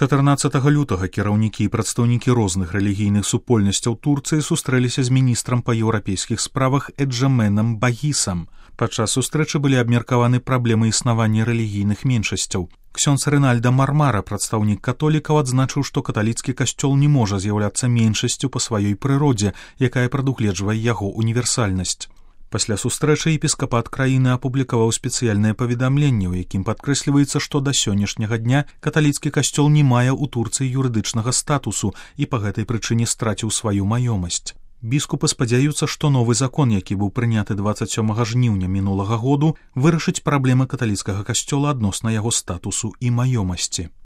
14 лютага кіраўнікі і прадстаўнікі розных рэлігійных супольнасцяў Турцыі сустрэліся з міністрам па еўрапейскіх справах Эджеменом Багісам. Падчас сустрэчы былі абмеркаваны праблемы існавання рэлігійных меншасцяў. Ксёндз Рынальда Мармара, прадстаўнік католікаў, адзначыў, што каталіцкі касцёл не можа з'яўляцца меншасцю па сваёй прыродзе, якая прадугледжвае яго універсальнасць. Пасля сустрэчы епіскапат краіны апублікаваў спецыяльнае паведамленне, у якім падкрэсліваецца, што да сённяшняга дня каталіцкі касцёл не мае ў Турцыі юрыдычнага статусу і па гэтай прычыне страціў сваю маёмасць. Біскупы спадзяюцца, што новы закон, які быў прыняты 27 жніўня мінулага году, вырашыць праблемы каталіцкага касцёла адносна яго статусу і маёмасці.